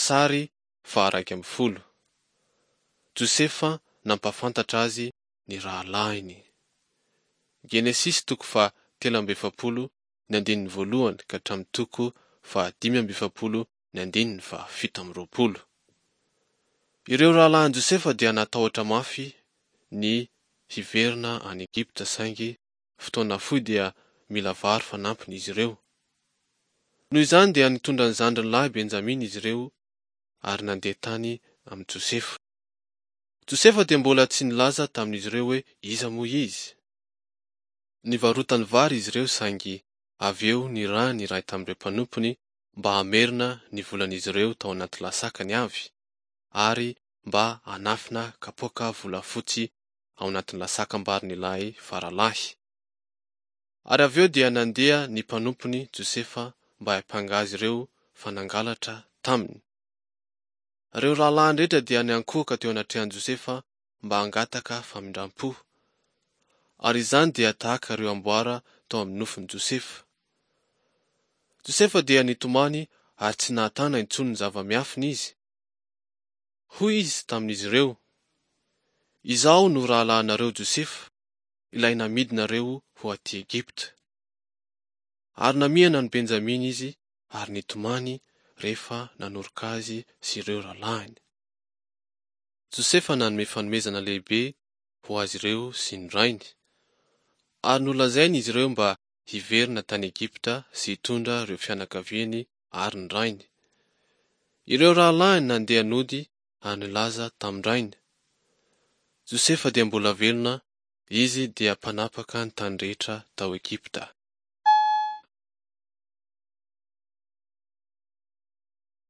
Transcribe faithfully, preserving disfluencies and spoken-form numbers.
Sary faha-iraika ambin'ny folo. Josefa nampahafantatra azy ny rahalahiny. Genesisy toko faha telo amby efapolo ny andininy voalohany ka hatramin'ny toko faha dimy amby efapolo ny andininy faha fito amby roapolo. Ireo rahalahin'i Josefa dia natahotra mafy ny hiverina any Egypta saingy fotoana fohy dia mila vary fanampiny izy ireo. Noho izany dia nitondra ny zandriny lahy Benjamina izy ireo ary nandeha tany amin'i Josefa. Josefa dia mbola tsy nilaza tamin'izy ireo hoe iza moa izy. Nivarotany vary izy ireo saingy avy eo nirahiny iray tamin'ireo mpanompony mba hamerina ny volan'izy ireo tao anaty lasakany avy ary mba hanafina kapoaka volafotsy ao anatin'ny lasakam-barin'ilay faralahy. Ary avy eo dia nandeha ny mpanompony Josefa mba hiampanga azy ireo fa nangalatra taminy. Ireo rahalahiny rehetra dia niankohoka teo anatrehan'i Josefa mba hangataka famindram-po. Ary izany dia tahaka ireo amboara tao amin'ny nofin'i Josefa. Josefa dia nitomany ary tsy nahatana intsony ny zava-miafina izy. Hoy izy tamin'izy ireo, Izaho no rahalahinareo Josefa, ilay namidinareo ho aty Egypta. Ary namihana an'i Benjamina izy ary nitomany rehefa nanoroka azy sy ireo rahalahiny. Josefa nanome fanomezana lehibe ho azy ireo sy ny rainy. Ary nolazainy izy ireo mba hiverina tany Egypta sy hitondra ireo fianakaviany ary ny rainy. Ireo rahalahiny nandeha nody ary nilaza tamin-drainy. Josefa dia mbola velona, izy dia mpanapaka ny tany rehetra tao Egypta.